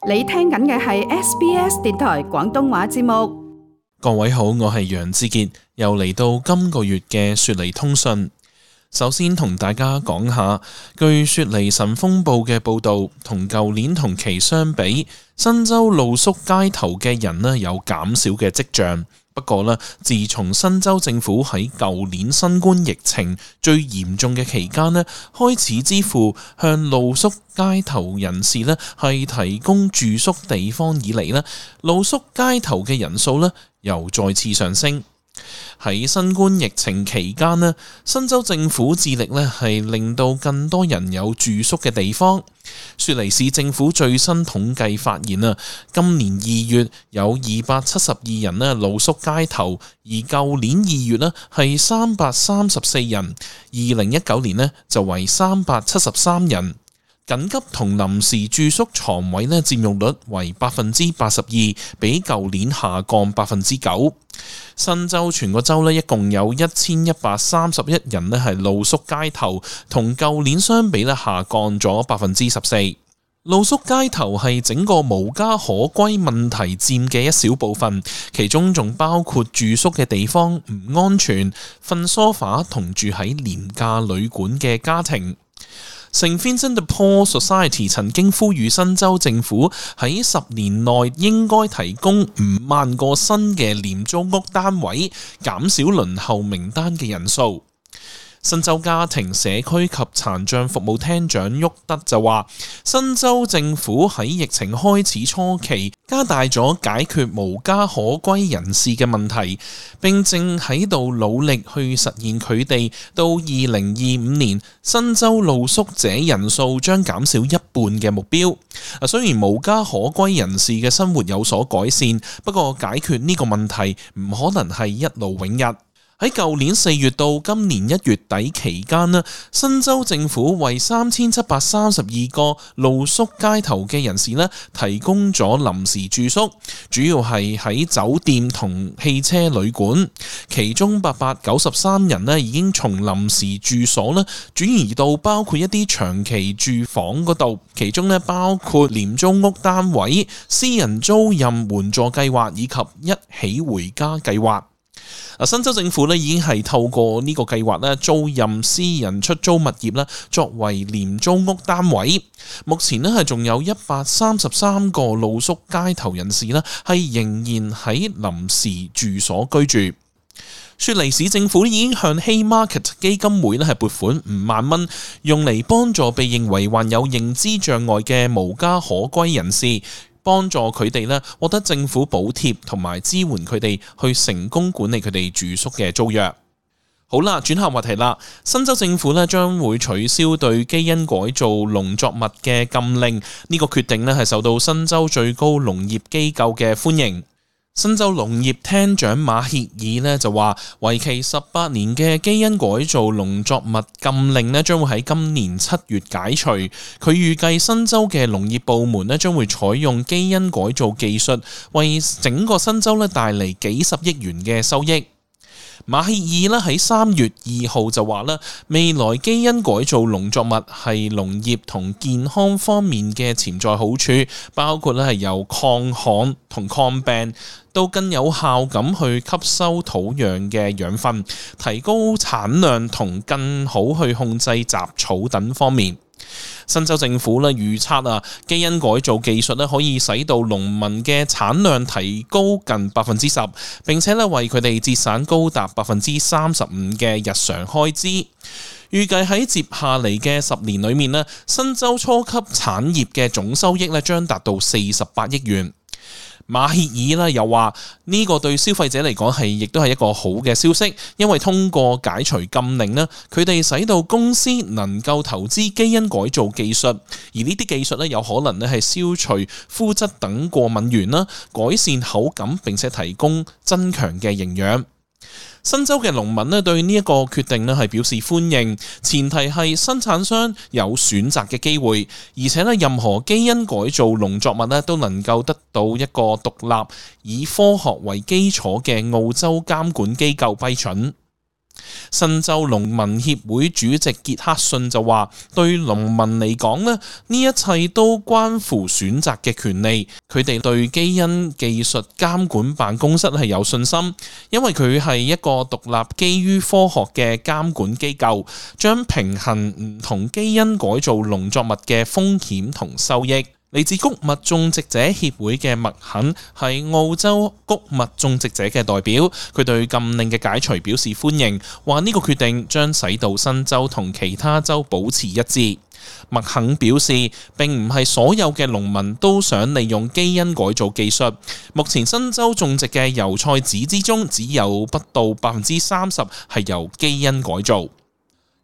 你聽緊嘅係 SBS 電台廣東話節目。各位好，我係楊志傑，又嚟到今個月嘅雪梨通訊。首先同大家講下，據雪梨晨鋒報嘅報道，同舊年同期相比，新州露宿街頭嘅人呢有減少嘅跡象。不過呢，自從新州政府喺舊年新冠疫情最嚴重嘅期間呢，開始支付向露宿街頭人士呢係提供住宿地方以嚟呢，露宿街頭嘅人數呢又再次上升。喺新冠疫情期間呢，新州政府致力呢係令到更多人有住宿嘅地方。雪梨市政府最新統計發現啊，今年2月有272人呢露宿街頭，而舊年2月呢係334人，2019年呢就為373人。緊急同臨時住宿床位呢佔用率為82%，比舊年下降9%。新州全個州呢一共有1131人呢係露宿街頭，同舊年相比呢下降咗14%。露宿街頭係整個無家可歸問題佔嘅一小部分，其中仲包括住宿嘅地方唔安全、瞓梳化同住喺廉價旅館嘅家庭。St Vincent de Paul Society 曾經呼籲新州政府喺10年內應該提供5萬個新嘅廉租屋單位，減少輪候名單嘅人數。新州家庭社區及殘障服務廳長沃德就話，新州政府喺疫情開始初期加大咗解決無家可歸人士嘅問題，並正喺度努力去實現佢哋到2025年新州露宿者人數將減少一半嘅目標。雖然無家可歸人士嘅生活有所改善，不過解決呢個問題唔可能係一勞永逸。喺舊年4月到今年1月底期間呢，新州政府為3732個露宿街頭嘅人士呢提供咗臨時住宿，主要係喺酒店同汽車旅館，其中893人呢已經從臨時住所呢轉移到包括一啲長期住房嗰度，其中呢包括廉租屋單位、私人租賃援助計劃以及一起回家計劃。新州政府已經係透過呢個計劃租賃私人出租物業作為廉租屋單位。目前係仲有133個露宿街頭人士係仍然喺臨時住所居住。雪梨市政府已經向 Haymarket 基金會係撥款5萬蚊，用嚟幫助被認為患有認知障礙嘅無家可歸人士，幫助佢哋獲得政府補貼同埋支援佢哋去成功管理佢哋住宿嘅租約。好啦，轉下話題啦。新州政府將會取消對基因改造農作物嘅禁令，呢個決定係受到新州最高農業機構嘅歡迎。新州農業廳長馬歇爾就話，為期18年嘅基因改造農作物禁令將會喺今年7月解除。佢預計新州嘅農業部門將會採用基因改造技術，為整個新州帶嚟幾十億元嘅收益。馬歇爾喺3月2號就話未來基因改造農作物係農業同健康方面嘅潛在好處，包括係由抗旱同抗病到更有效咁去吸收土壤嘅養分，提高產量同更好去控制雜草等方面。新州政府預測基因改造技術可以使到農民嘅產量提高近10%，並且為佢哋節省高達35%嘅日常開支。預計喺接下嚟嘅10年裏面新州初級產業嘅總收益將達到48億元。馬歇爾又話呢個對消費者嚟講亦都係一個好嘅消息，因為通過解除禁令佢哋使到公司能夠投資基因改造技術，而呢啲技術有可能係消除膚質等過敏源改善口感，並且提供增強嘅營養。新州嘅農民對呢一個決定係表示歡迎，前提係生產商有選擇嘅機會，而且任何基因改造農作物都能夠得到一個獨立以科學為基礎嘅澳洲監管機構批准。新州農民協會主席傑克遜就話：對農民嚟講呢一切都關乎選擇嘅權利。佢哋對基因技術監管辦公室係有信心，因為佢係一個獨立基於科學嘅監管機構，將平衡唔同基因改造農作物嘅風險同收益。嚟自穀物種植者協會嘅麥肯係澳洲穀物種植者嘅代表，佢對禁令嘅解除表示歡迎，話呢個決定將使到新州同其他州保持一致。麥肯表示，並唔係所有嘅農民都想利用基因改造技術。目前新州種植嘅油菜籽之中，只有不到30%係由基因改造。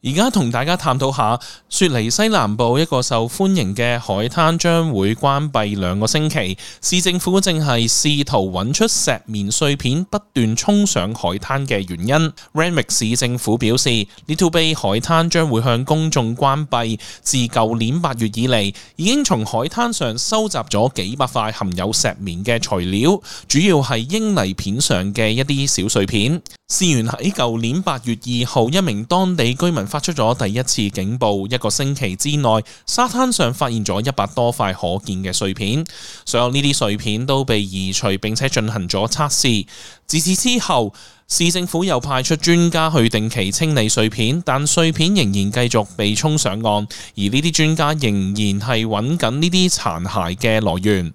而家同大家探討下，雪梨西南部一個受歡迎嘅海灘將會關閉2個星期。市政府正係試圖揾出石棉碎片不斷衝上海灘嘅原因。Randwick 市政府表示 ，Little Bay 海灘將會向公眾關閉。自舊年8月以嚟，已經從海灘上收集咗幾百塊含有石棉嘅材料，主要係英泥片上嘅一啲小碎片。事源喺舊年8月2號，一名當地居民發出咗第一次警報，1個星期之內，沙灘上發現咗100多塊可見嘅碎片，所有呢啲碎片都被移除並且進行咗測試。自此之後，市政府又派出專家去定期清理碎片，但碎片仍然繼續被沖上岸，而呢啲專家仍然係揾緊呢啲殘骸嘅來源。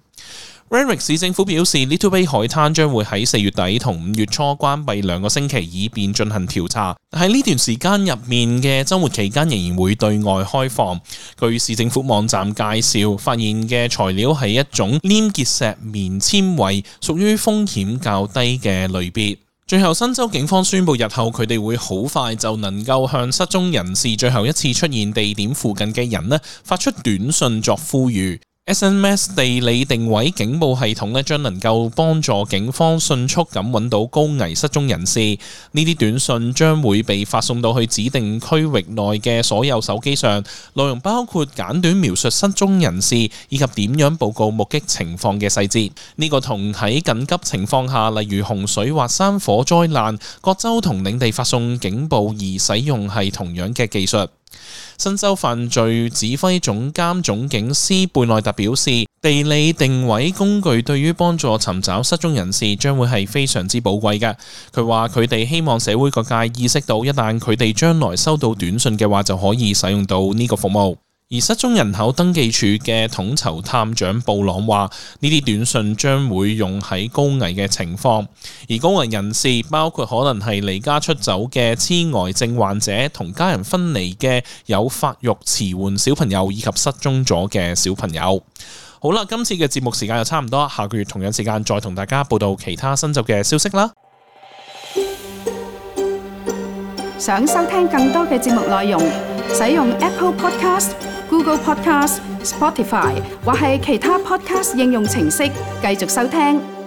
Randwick 市政府表示 ，Little Bay 海灘將會喺4月底同5月初關閉2個星期，以便進行調查。喺呢段時間入面嘅週末期間，仍然會對外開放。據市政府網站介紹，發現嘅材料係一種黏結石棉纖維，屬於風險較低嘅類別。最後，新州警方宣布，日後佢哋會好快就能夠向失蹤人士最後一次出現地點附近嘅人發出短信作呼籲。SMS 地理定位警報系統將能夠幫助警方迅速咁揾到高危失蹤人士。呢啲短信將會被發送到去指定區域內嘅所有手機上，內容包括簡短描述失蹤人士以及點樣報告目擊情況嘅細節。呢個同喺緊急情況下，例如洪水或山火災難，各州同領地發送警報而使用係同樣嘅技術。新州犯罪指揮總監總警司貝內特表示，地理定位工具對於幫助尋找失蹤人士將會係非常之寶貴嘅。佢話佢哋希望社會各界意識到，一旦佢哋將來收到短信嘅話，就可以使用到呢個服務。而失蹤人口登記處嘅統籌探長布朗話，呢啲短信將會用喺高危嘅情況，而高危人士包括可能係離家出走嘅痴呆症患者、同家人分離嘅有發育遲緩小朋友以及失蹤咗嘅小朋友。好啦，今次嘅節目時間就差唔多，下個月同樣時間再同大家報道其他新州嘅消息啦。想收聽更多嘅節目內容，使用 Apple Podcast、Google Podcast、Spotify 或係其他 Podcast 應用程式繼續收聽。